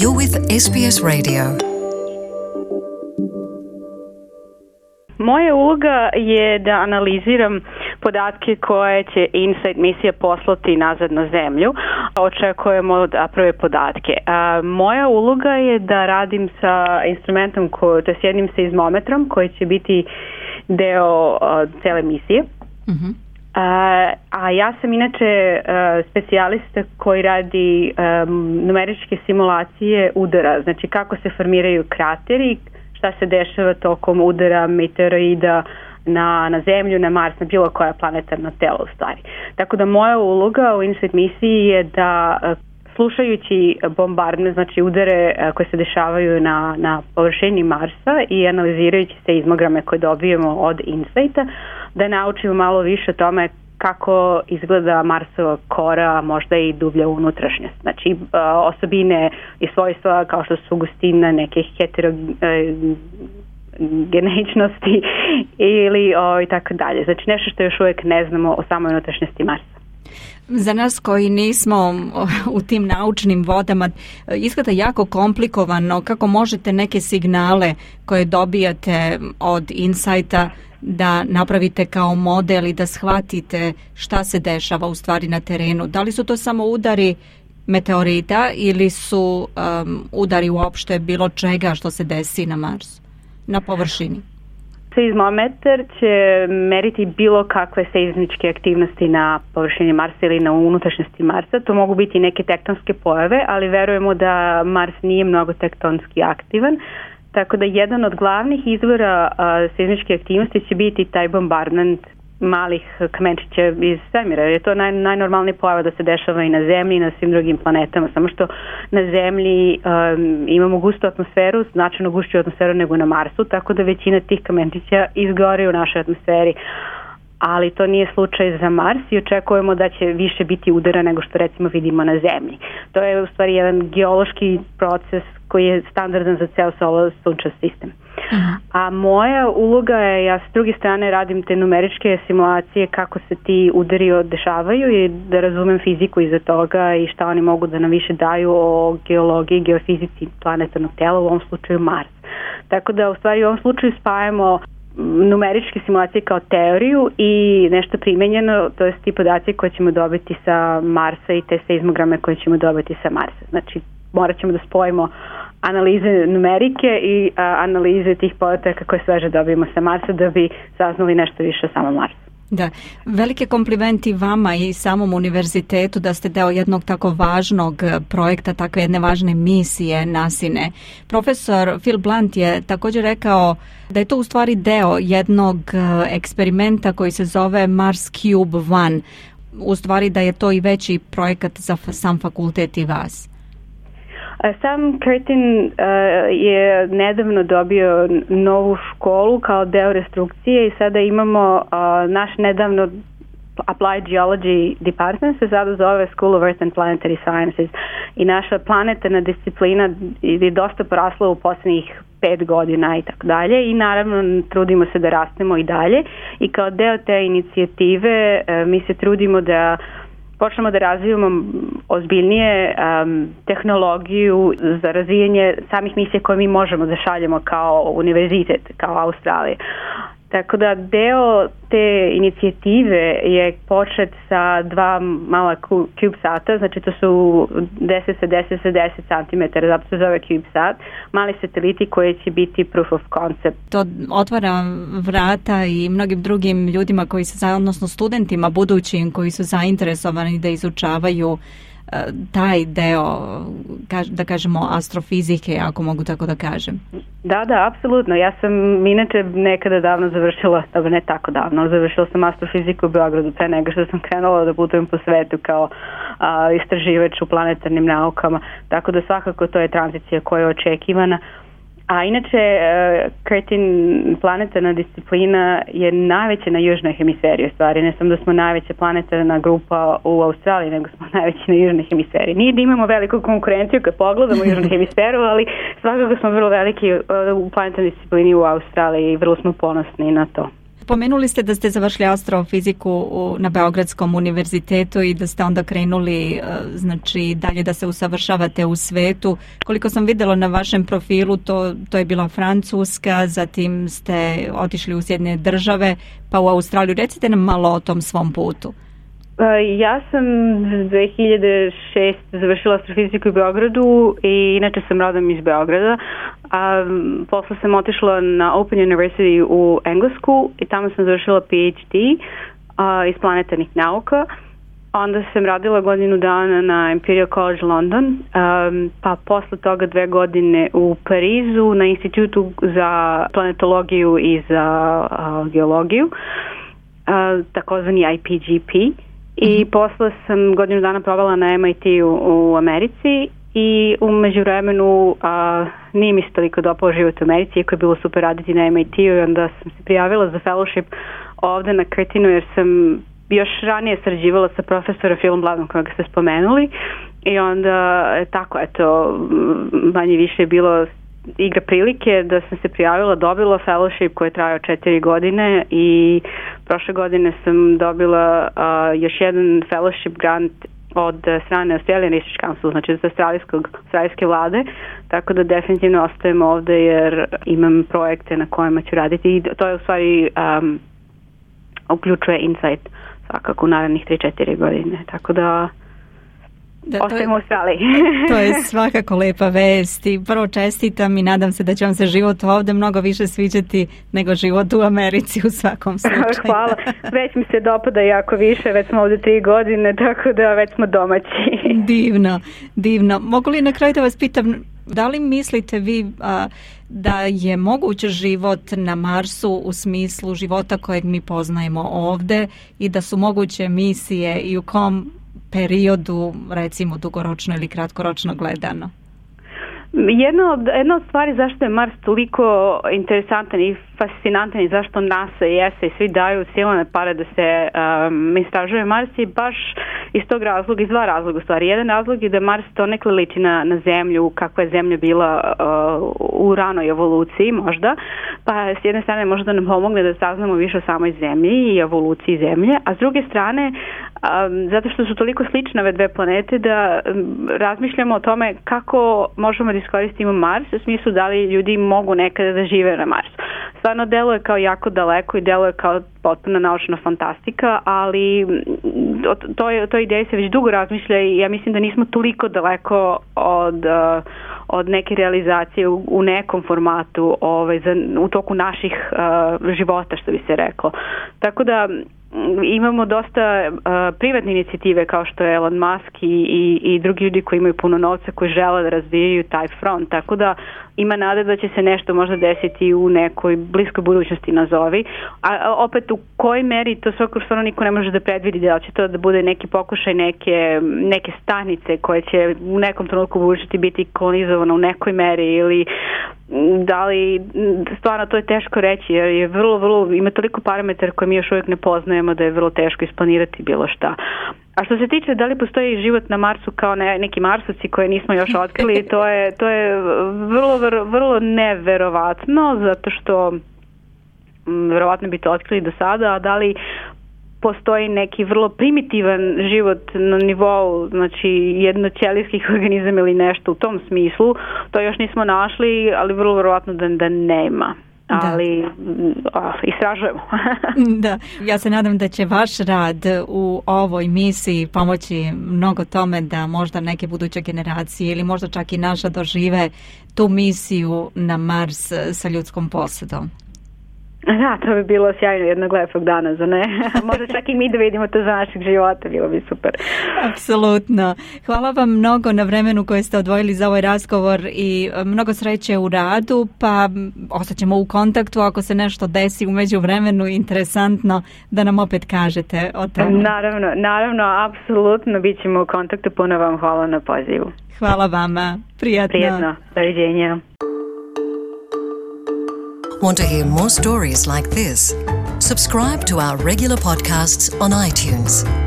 You're with SBS Radio. Moja uloga je da analiziram podatke koje će InSight misija poslati nazad na zemlju. Očekujemo da prve podatke. Moja uloga je da radim sa instrumentom, to je s jednim seizmometrom koji će biti deo cele misije. A ja sam inače specijalista koji radi numeričke simulacije udara, znači kako se formiraju krateri, šta se dešava tokom udara meteoroida na Zemlju, na Mars, na bilo koja planetarna telo u stvari. Tako da moja uloga u InSight misiji je da slušajući bombardne, znači udare koje se dešavaju na površini Marsa i analizirajući seizmograme koje dobijemo od InSighta, da naučimo malo više o tome kako izgleda Marsova kora, možda i dublja unutrašnjost. Znači osobine i svojstva kao što su gustina, neke heterogeničnosti ili i tako dalje. Znači nešto što još uvijek ne znamo o samoj unutrašnjosti Marsa. Za nas koji nismo u tim naučnim vodama, izgleda jako komplikovano kako možete neke signale koje dobijate od InSighta da napravite kao model i da shvatite šta se dešava u stvari na terenu. Da li su to samo udari meteorita ili su udari uopšte bilo čega što se desi na Marsu, na površini? Seizmometar će meriti bilo kakve seizmičke aktivnosti na površini Marsa ili na unutrašnjosti Marsa. To mogu biti neke tektonske pojave, ali verujemo da Mars nije mnogo tektonski aktivan. Tako da jedan od glavnih izvora seizmičke aktivnosti će biti taj bombardment malih kamenčića iz svemira. Je to najnormalnija pojava da se dešava i na Zemlji i na svim drugim planetama. Samo što na Zemlji imamo gustu atmosferu, značajno gušću atmosferu nego na Marsu, tako da većina tih kamenčića izgori u našoj atmosferi. Ali to nije slučaj za Mars i očekujemo da će više biti udara nego što recimo vidimo na Zemlji. To je u stvari jedan geološki proces koji je standardan za ceo sunčev sistem. A moja uloga je, ja s druge strane radim te numeričke simulacije kako se ti udari dešavaju i da razumem fiziku iza toga i šta oni mogu da nam više daju o geologiji, geofizici planetarnog tela, u ovom slučaju Mars. Tako da u stvari u ovom slučaju spajamo numeričke simulacije kao teoriju i nešto primenjeno, to je ti podaci koje ćemo dobiti sa Marsa i te seizmograme koje ćemo dobiti sa Marsa. Znači morat ćemo da spojimo analize numerike i analize tih podataka koje sveže dobijemo sa Marsa da bi saznali nešto više o samom Marsu. Da, velike komplimenti vama i samom univerzitetu da ste deo jednog tako važnog projekta, takve jedne važne misije NASA-ine. Profesor Phil Blunt je također rekao da je to u stvari deo jednog eksperimenta koji se zove Mars Cube One. U stvari da je to i veći projekat za sam fakultet i vas. Sam Curtin je nedavno dobio novu školu kao deo restrukcije i sada imamo naš nedavno Applied Geology Department se sada zove School of Earth and Planetary Sciences i naša planetarna disciplina je dosta porasla u posljednjih 5 godina i tako dalje i naravno trudimo se da rastemo i dalje i kao deo te inicijative mi se trudimo da počnemo da razvijamo ozbiljnije tehnologiju za razvijanje samih misija koje mi možemo da šaljemo kao univerzitet, kao Australija. Tako da deo te inicijative je počet sa 2 mala CubeSata, znači to su 10 sa 10 sa 10 cm, zato se zove CubeSat, mali sateliti koji će biti proof of concept. To otvara vrata i mnogim drugim ljudima koji su, odnosno studentima budućim koji su zainteresovani da izučavaju taj deo, da kažemo, astrofizike, ako mogu tako da kažem. Da, apsolutno. Ja sam inače nekada davno završila, dobro ne tako davno, završila sam astrofiziku u Beogradu pre nego što sam krenula da putujem po svetu kao istraživač u planetarnim naukama, tako da svakako to je tranzicija koja je očekivana. A inače, Curtin planetarna disciplina je najveća na južnoj hemisferi u stvari. Ne samo da smo najveća planetarna grupa u Australiji, nego smo najveći na južnoj hemisferi. Nije da imamo veliku konkurenciju kad pogledamo južnu hemisferu, ali svakako smo vrlo veliki u planetarnoj disciplini u Australiji i vrlo smo ponosni na to. Pomenuli ste da ste završili astrofiziku na Beogradskom univerzitetu i da ste onda krenuli znači dalje da se usavršavate u svetu. Koliko sam vidjela na vašem profilu, to je bila Francuska, zatim ste otišli u Sjedinjene Države, pa u Australiju. Recite nam malo o tom svom putu. Ja sam 2006 završila astrofiziku u Beogradu i inače sam rodom iz Beograda. Posle sam otišla na Open University u Englesku i tamo sam završila PhD iz planetarnih nauka. Onda sam radila godinu dana na Imperial College London, pa posle toga 2 godine u Parizu na Institutu za planetologiju i za geologiju, takozvani IPGP. I posle sam godinu dana provela na MIT-u u Americi i u međuvremenu nije mi se toliko dopao život u Americi, iako je bilo super raditi na MIT-u, i onda sam se prijavila za fellowship ovde na Curtinu jer sam još ranije sarađivala sa profesorom Philom Bladom kojeg ste spomenuli i onda tako eto manje više je bilo igra prilike da sam se prijavila, dobila fellowship koji je trajao 4 godine i prošle godine sam dobila još jedan fellowship grant od strane Australian Research Council, znači od australijske vlade, tako da definitivno ostajem ovde jer imam projekte na kojima ću raditi i to je u stvari uključuje Insight svakako u narednih 3-4 godine, tako da ostajemo u Australiji. To je svakako lepa vest i prvo čestitam i nadam se da će vam se život ovde mnogo više sviđati nego život u Americi u svakom slučaju. Hvala. Već mi se dopada jako više, već smo ovde 3 godine, tako da već smo domaći. Divno. Mogu li na kraju da vas pitam, da li mislite vi da je moguć život na Marsu u smislu života kojeg mi poznajemo ovde i da su moguće misije i u kom periodu, recimo dugoročno ili kratkoročno gledano? Jedna od stvari zašto je Mars toliko interesantan i fascinantan i zašto NASA i ESA i svi daju silne pare da se istražuje Mars je baš iz tog razloga, iz 2 razloga u stvari. Jedan razlog je da Mars donekle liči na Zemlju, kakva je Zemlja bila u ranoj evoluciji možda, pa s jedne strane možda nam pomogne da saznamo više o samoj Zemlji i evoluciji Zemlje, a s druge strane zato što su toliko slične ove 2 planete da razmišljamo o tome kako možemo da iskoristimo Mars u smislu da li ljudi mogu nekada da žive na Marsu. Stvarno deluje kao jako daleko i deluje kao potpuno naučna fantastika, ali to ideje se već dugo razmišlja i ja mislim da nismo toliko daleko od neke realizacije u nekom formatu u toku naših života, što bi se reklo. Tako da imamo dosta privatne inicijative kao što je Elon Musk i drugi ljudi koji imaju puno novca koji žele da razvijaju taj front, tako da ima nade da će se nešto možda desiti u nekoj bliskoj budućnosti nazovi, a opet u kojoj meri to stvarno niko ne može da predvidi, da će to da bude neki pokušaj neke stanice koje će u nekom trenutku budućnosti biti kolonizovano u nekoj meri ili da li stvarno to je teško reći jer je vrlo ima toliko parametara koje mi još uvijek ne poznajemo da je vrlo teško isplanirati bilo šta. A što se tiče da li postoji život na Marsu kao neki Marsovci koje nismo još otkrili, to je vrlo neverovatno zato što verovatno bi to otkrili do sada, a da li postoji neki vrlo primitivan život na nivou, znači jednoćelijskih organizama ili nešto u tom smislu, to još nismo našli, ali vrlo verovatno da nema. Ali istražujemo. Da, ja se nadam da će vaš rad u ovoj misiji pomoći mnogo tome da možda neke buduće generacije ili možda čak i naša dožive tu misiju na Mars sa ljudskom posadom. Da, to bi bilo sjajno jednog lepog dana, za ne? Možda čak i mi da vidimo to za našeg života, bilo bi super. Apsolutno. Hvala vam mnogo na vremenu koje ste odvojili za ovaj razgovor i mnogo sreće u radu, pa ostaćemo u kontaktu ako se nešto desi u međuvremenu interesantno da nam opet kažete o tome. Naravno, apsolutno bit ćemo u kontaktu, puno vam hvala na pozivu. Hvala vama, prijatno. Doviđenja. Want to hear more stories like this? Subscribe to our regular podcasts on iTunes.